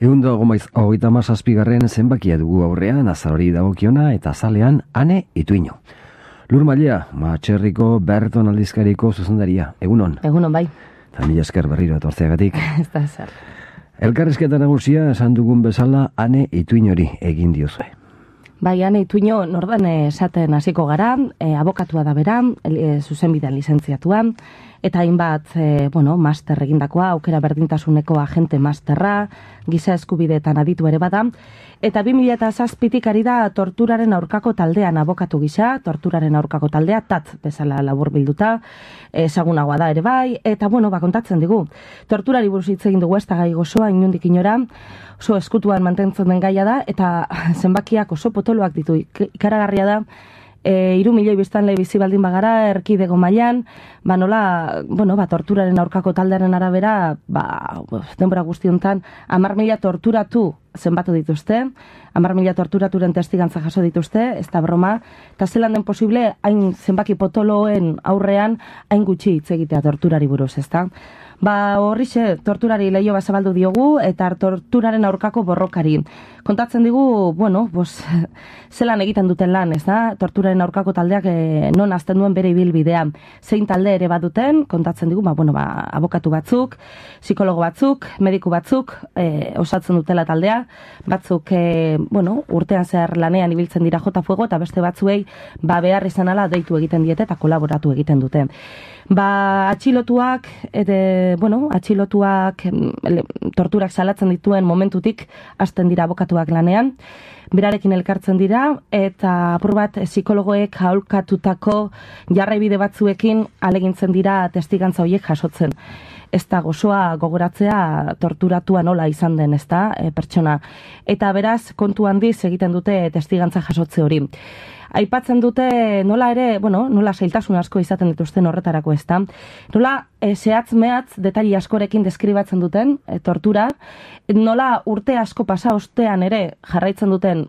137. zenbakia dugu aurrean, azarori dagokiona eta azalean Ane Ituino. Lur Mailea, Matxerriko Berton aldizkariko zuzendaria. Egunon? Egunon, bai. Eta mila esker berriro etortzeagatik. Ez da zer. Elkarrizketa nagusia esan dugun bezala Ane Ituinori egin diozue. Bai, Ane Ituino nordan esaten hasiko gara, abokatua da bera, zuzenbidean lizentziatuan, eta hainbat, master egindakoa, aukera berdintasuneko agente masterra, giza eskubideetan aditu ere bada, eta 2007tik ari da torturaren aurkako taldean abokatu gisa, torturaren aurkako taldea, TAT bezala labur bilduta, ezagunagoa da ere bai, eta kontatzen digu. Torturari buruz hitz egin dugu ez da gai gozoa, inondik inora, oso eskutuan mantentzen den gaia da, eta zenbakiak oso potoloak ditu, ikaragarria da, 3 milioi biztanle bizi baldin bagara, erkidego mailan, torturaren aurkako taldearen arabera, denbora guztiontan, 10.000 torturatu zenbatu dituzte, 10.000 torturaturen testigantza jaso dituzte, ez da broma, eta zelan den posible, hain zenbaki potoloen aurrean, hain gutxi hitz egitea torturari buruz, ez da? Horrixe, torturari lehio zabaldu diogu, eta torturaren aurkako borrokari. Kontatzen digu, zelan egiten duten lan, ez da? Torturaren aurkako taldeak non azten duen bere ibilbidea. Zein talde ere baduten, kontatzen digu, abokatu batzuk, psikologo batzuk, mediku batzuk, osatzen dutela taldea, batzuk, urtean zehar lanean ibiltzen dira jota fuego, eta beste batzuei, behar izan ala deitu egiten diete eta kolaboratu egiten dute. Atxilotuak, torturak salatzen dituen momentutik hasten dira abokatuak lanean, berarekin elkartzen dira, eta apur bat psikologoek aholkatutako jarraibide batzuekin alegintzen dira testigantza horiek jasotzen. Ez da gozoa gogoratzea torturatua nola izan den, ez da, pertsona. Eta beraz, kontu handiz egiten dute testigantza jasotze hori. Aipatzen dute nola ere, nola zailtasun asko izaten dituzten horretarako, ez da. Nola zehatz-mehatz detaili askorekin deskribatzen duten tortura, nola urte asko pasa ostean ere jarraitzen duten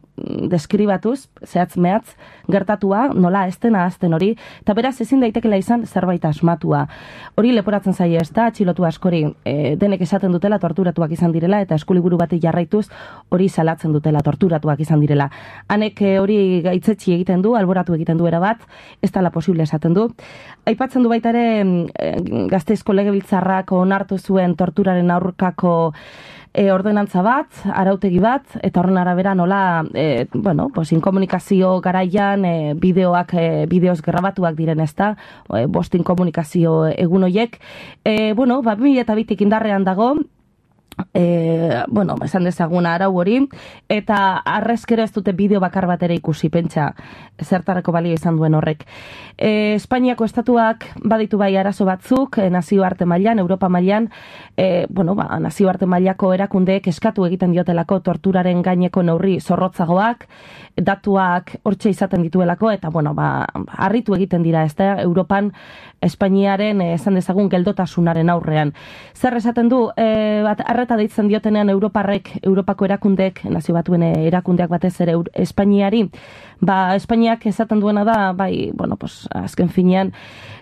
deskribatuz, zehatz-mehatz gertatua, nola ez dena azten hori, eta beraz ezin daitekela izan zerbait asmatua. Hori leporatzen zaie, ez da, atxilotu askori denek esaten dutela torturatuak izan direla, eta eskuliburu bati jarraituz hori salatzen dutela torturatuak izan direla. Hanek hori gaitzetsi egiten du, alboratu egiten du erabat, ez dela posible esaten du. Aipatzen du baita ere Gasteizko Legebiltzarrak onartu zuen torturaren aurkako ordenantza bat, arautegi bat, eta horren arabera nola, inkomunikazio garaian bideoz grabatuak diren, ez da, inkomunikazio egun horiek. 2002tik indarrean dago, esan dezagun arau hori, eta arrezkero ez dute bideo bakar bat ere ikusi, pentsa, zertarako balio izan duen horrek. Espainiako estatuak baditu bai arazo batzuk, nazioarte mailan, Europa mailan, nazioarte mailako erakundeek eskatu egiten diotelako torturaren gaineko neurri zorrotzagoak, datuak hortxe izaten dituelako, eta harritu egiten dira, ez da, Europan Espainiaren, esan dezagun, geldotasunaren aurrean. Zer esaten du, arreta deitzen diotenean Europako erakundeek, nazio batuen erakundeak batez ere Espainiari, Espainiak esaten duena da, azken finean,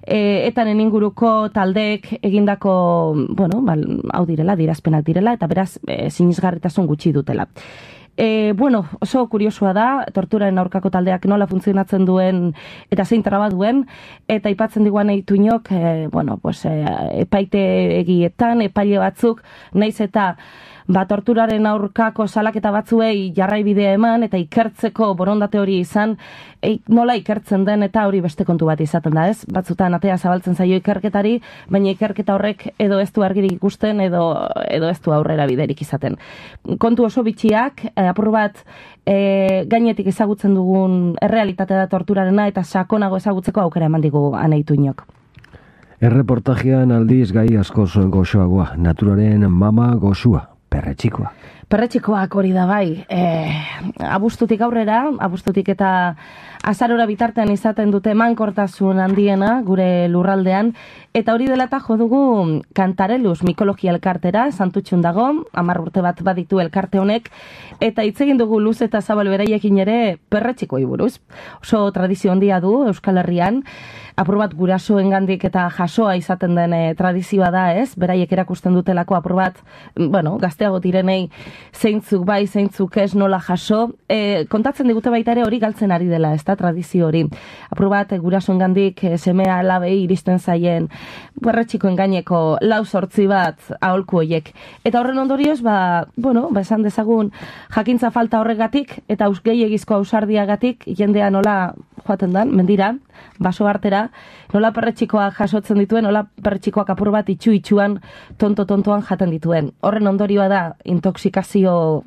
etaren inguruko taldeek egindako, hau direla, dirazpenak direla, eta beraz, sinisgarritasun gutxi dutela. Oso kuriosua da, torturaren aurkako taldeak nola funtzionatzen duen eta zein traba duen, eta aipatzen diguan Ituinok, epaite egietan, epaile batzuk, naiz eta torturaren aurkako salaketa batzuei jarraibidea eman eta ikertzeko borondate hori izan, nola ikertzen den eta hori beste kontu bat izaten da, ez? Batzutan atea zabaltzen zaio ikerketari, baina ikerketa horrek edo ez du argirik ikusten edo ez du aurrera biderik izaten. Kontu oso bitxiak, apur bat gainetik ezagutzen dugun errealitatea da torturarena eta sakonago ezagutzeko aukera eman digu Ane Ituinok. Erreportajean aldiz gai asko goxoagoa, naturaren mama goxua. Perretxikoa. Perretxikoak hori da bai. Abuztutik aurrera, abuztutik eta azarora bitartean izaten dute mankortasun handiena gure lurraldean, eta hori dela eta jo dugu Kantareluz mikologia elkartera, Santutxun dago, 10 urte bat baditu elkarte honek, eta hitz egin dugu luz eta zabal beraiekin ere perretxikoi buruz. Oso tradizio handia du Euskal Herrian, apur bat gurasoengandik eta jasoa izaten den tradizioa da, ez? Beraiek erakusten dutelako apur bat, gazte gazteago direnei zeintzuk bai, zeintzuk ez, nola jaso. Kontatzen digute baita ere hori galtzen ari dela, ez da, tradizio hori. Apur bat, gurasoengandik semea alabei iristen zaien perretxikoen gaineko 4 bat aholku hoiek. Eta horren ondorioz, esan dezagun jakintza falta horregatik eta gehiegizko ausardiagatik jendea nola joaten dan, mendira, baso artera, nola perretxikoak jasotzen dituen, nola perretxikoak apur bat itxuan tontoan jaten dituen. Horren ondorioa da, intoxikazio,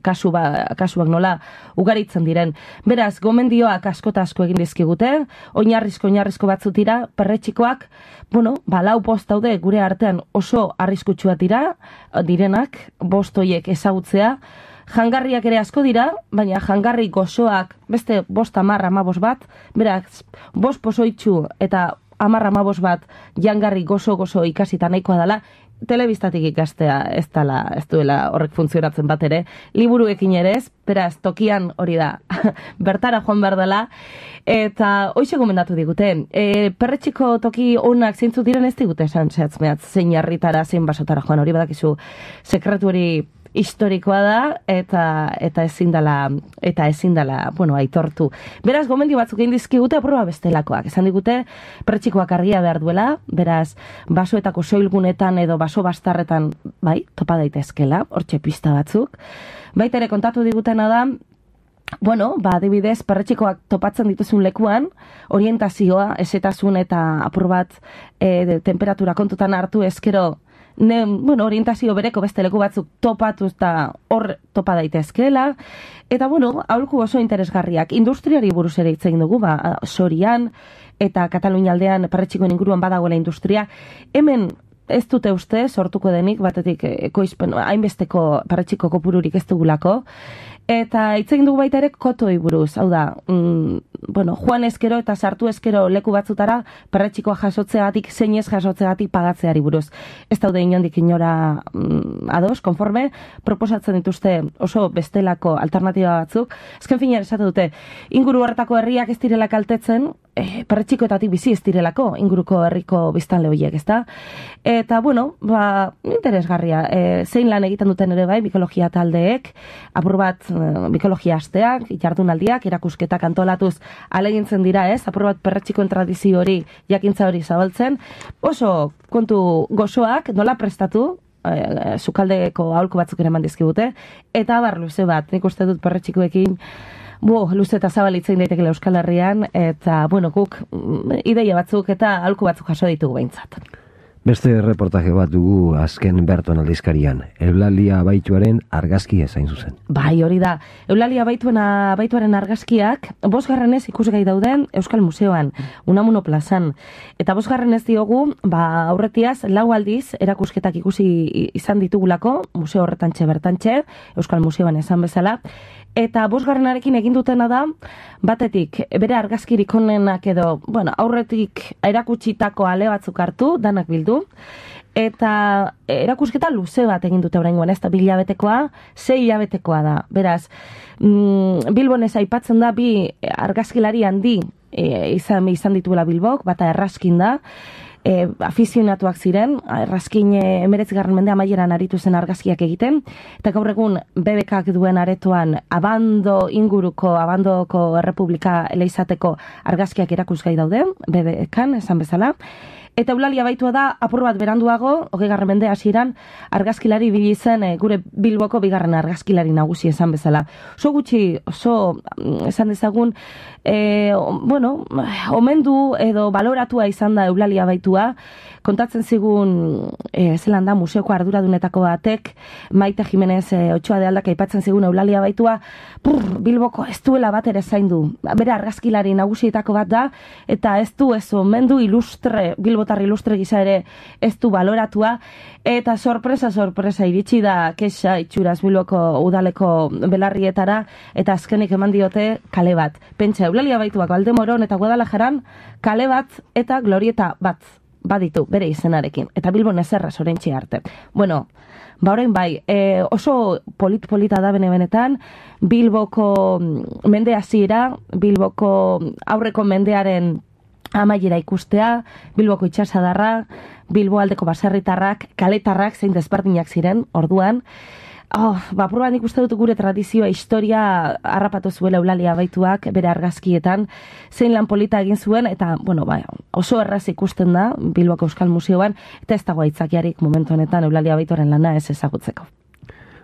kasuak nola ugaritzen diren. Beraz, gomendioak asko egin dizkigute, oinarrizko batzut dira, perretxikoak, lau post daude gure artean oso arriskutsua direnak, bost hoiek ezagutzea, jangarriak ere asko dira, baina jangarri gozoak beste 5-10-15 bat, beraz, 5 pozoitxu eta 10-15 bat jangarri gozo ikasita nahikoa dela, telebistatik ikastea ez duela horrek funtzionatzen bat ere, liburuekin ere ez, beraz, tokian hori da, bertara joan behar dela, eta hoxe gomendatu digute, perretxiko toki onak zeintzu diren ez digute esan zehatzmeat, zein jarritara, zein basotara joan, hori badakizu, sekretu hori historikoa da, eta ezin dela, aitortu. Beraz, gomendio batzuk egin dizkigute aproba bestelakoak. Esan digute, perretxikoak argia behar duela, beraz, basoetako soilgunetan edo baso bastarretan, topa daitezkela, hortxe pista batzuk. Baita ere kontatu digutena da, adibidez, perretxikoak topatzen dituzun lekuan, orientazioa, ezetasun eta apur bat temperatura kontutan hartu ezkero, orientazio bereko beste leku batzuk topatu eta hor topa daitezkeela. Eta, aholku oso interesgarriak. Industriari buruz ere hitz egin dugu, Sorian eta Katalunia aldean perretxikoen inguruan badagoela industria. Hemen ez dute uste sortuko denik, batetik hainbesteko perretxiko kopururik ez dugulako. Eta hitz egin dugu baita ere kotoi buruz, hau da, joan ezkero eta sartu ezkero leku batzutara perretxikoa jasotzeagatik, zein ez jasotzeagatik pagatzeari buruz. Ez daude inondik inora ados, konforme, proposatzen dituzte oso bestelako alternatiba batzuk. Ezken fina esate dute, inguru horretako herriak ez direla kaltetzen, perretxikoetatik bizi ez direlako, inguruko herriko biztanle horiek, ez da? Eta, interesgarria, zein lan egiten duten ere bai, mikologia taldeek, apur bat mikologia asteak, jardunaldiak, erakusketak antolatuz alegintzen dira, ez? Apur bat perretxikoen tradizio hori, jakintza hori zabaltzen, oso kontu gozoak, nola prestatu, sukaldeko aholku batzuk ere eman dizkigute, eta abar luze bat, nik uste dut perretxikoekin, luze eta zabalitzen daitekela Euskal Herrian, eta, guk ideia batzuk eta aholku batzuk jaso ditugu behintzat. Beste reportaje bat dugu azken Berton aldizkarian, Eulalia Abaituaren argazkia zain zuzen. Bai, hori da. Eulalia Abaituaren argazkiak 5. ikusgai dauden Euskal Museoan, Unamuno plazan. Eta 5. diogu, aurretiaz, 4 aldiz erakusketak ikusi izan ditugulako, museo horretantxe bertantxe, Euskal Museoan esan bezala, eta 5. egin dutena da, batetik, bere argazkirik onenak edo, aurretik erakutsitako ale batzuk hartu, danak bildu, eta erakusketa luze bat egin dute oraingoan, ez da 2 hilabetekoa, 6 hilabetekoa da. Beraz, Bilbon ez aipatzen da 2 argazkilari handi izan dituela Bilbok, bata Erraskin da, afizionatuak ziren, Erraskin 19. mende amaieran aritu zen argazkiak egiten, eta gaur egun BBKak duen aretoan Abandoko Errepublika eleizateko argazkiak erakusgai daude, BBKan, esan bezala. Eta Eulalia Abaitua da, apur bat beranduago, 20. mende hasieran, argazkilari ibili zen gure Bilboko 2. argazkilari nagusi esan bezala. Oso gutxi, esan dezagun, omendu edo baloratua izan da Eulalia Abaitua, kontatzen zigun, zelan da, museoko arduradunetako batek, Maite Jimenez Otxoa de Aldak aipatzen zigun Eulalia Abaitua, Bilboko ez duela bat ere zaindu. Bere argazkilari nagusietako bat da, eta ez du ez omendu bilbotar ilustre gisa ere ez du baloratua, eta sorpresa iritsi da kexa itxuraz Bilboko udaleko belarrietara, eta azkenik eman diote kale bat. Pentsa, Eulalia Abaituak Valdemoron eta Guadalajaran kale bat eta glorieta bat baditu bere izenarekin, eta Bilbon ezerra zorentxe arte. Orain bai, oso polita da benetan, Bilboko mende hasiera, Bilboko aurreko mendearen amaiera ikustea, Bilboko itxasadarra, Bilbo aldeko baserritarrak, kaletarrak zein desberdinak ziren, orduan. Apur bat nik uste dut gure tradizioa, historia harrapatu zuela Eulalia Abaituak bere argazkietan, zein lan polita egin zuen, eta, oso erraz ikusten da Bilboko Euskal Museoan, eta ez dago aitzakiarik momentu honetan Eulalia Abaituaren lana ez ezagutzeko.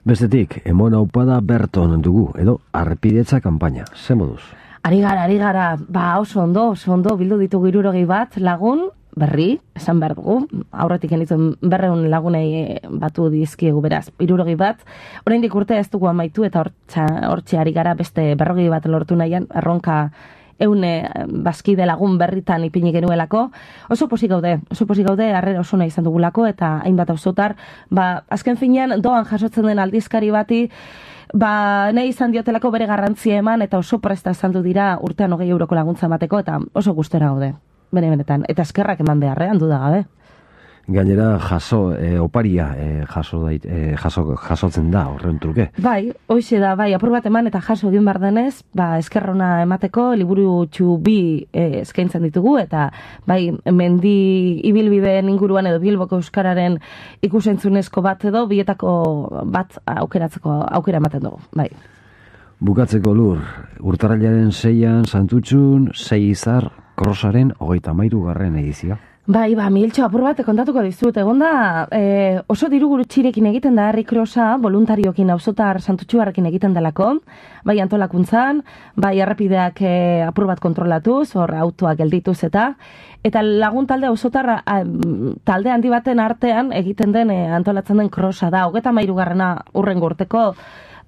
Bestetik, emon aupada Berton dugu, edo arrepidetza kanpaina, ze moduz? Ari gara, oso ondo, bildu ditugu 60 bat lagun, berri, esan behar dugu, aurretik genituen 200 lagunei batu dizkiegu beraz, 60 bat, oraindik urte ez dugu amaitu eta hortxe ari gara beste 40 bat lortu nahian, erronka eune bazkide lagun berritan ipini genuelako, oso pozik gaude, harrera oso nahi izan dugulako, eta hainbat auzotar, azken finean doan jasotzen den aldizkari bati, nahi izan diotelako bere garrantzia eman, eta oso presta izandu dira urtean 20 euroko laguntza emateko, eta oso gustera gaude. Benetan, eta eskerrak eman beharrean duda gabe. Gainera, oparia jasotzen da horren truke. Bai, hoxe da, apur bat eman eta jaso egin behar denez, eskerrona emateko liburu bi eskaintzen ditugu, eta mendi ibilbideen inguruan edo Bilboko Euskararen ikusentzunezko bat edo, bietako bat aukeratzeko aukera ematen dugu, bai. Bukatzeko Lur, urtarrailaren 6an Santutxun, 6 izar, Krosaren 33. edizioa. Miltxo, apur bat kontatuko dizut. Egonda, oso diru gutxirekin egiten da herri krosa, voluntariokin auzotar Santutxuarrekin egiten delako, antolakuntzan, errepideak apur bat kontrolatuz, autoak geldituz eta lagun talde auzotar talde handi baten artean egiten den antolatzen den krosa da, 33. urrengo urteko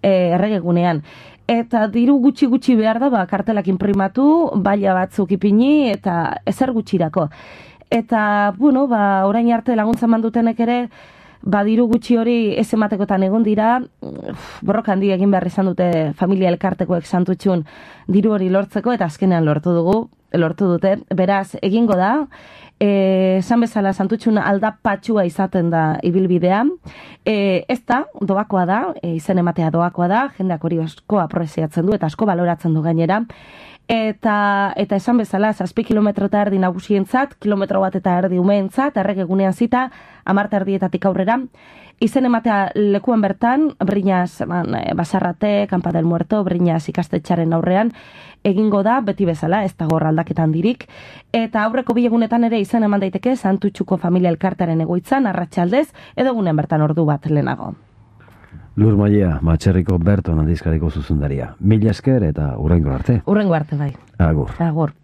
erregegunean. Eta diru gutxi behar da, kartelak inprimatu, baila batzuk ipini, eta ezer gutxirako. Eta, orain arte laguntza mandutenek ere, diru gutxi hori ez ematekotan egon dira, borroka handi egin behar izan dute familia elkartekoek Santutxun diru hori lortzeko, eta azkenean lortu dute. Beraz, egingo da, esan bezala Santutxun aldapatxua izaten da ibilbidea, ez da, doakoa da, izen ematea doakoa da, jendeak hori asko apreziatzen du, eta asko baloratzen du gainera, eta esan bezala, 7 kilometro eta erdi nagusientzat, kilometro bat eta erdi umeentzat, erregegunean zita, 10:00 aurrera, izen ematea lekuan bertan, Briñas Basarrate, Campa del Muerto, Briñas ikastetxaren aurrean, egingo da, beti bezala, ez dago aldaketan dirik, eta aurreko bilegunetan ere izen eman daiteke Santutxuko familia elkartaren egoitzan, arratsaldez, edo egunen bertan ordu bat lehenago. Lur Maia, Matxerriko Berton aldizkariko zuzendaria. Mila esker eta hurrengo arte. Hurrengo arte, bai. Agur. Agur.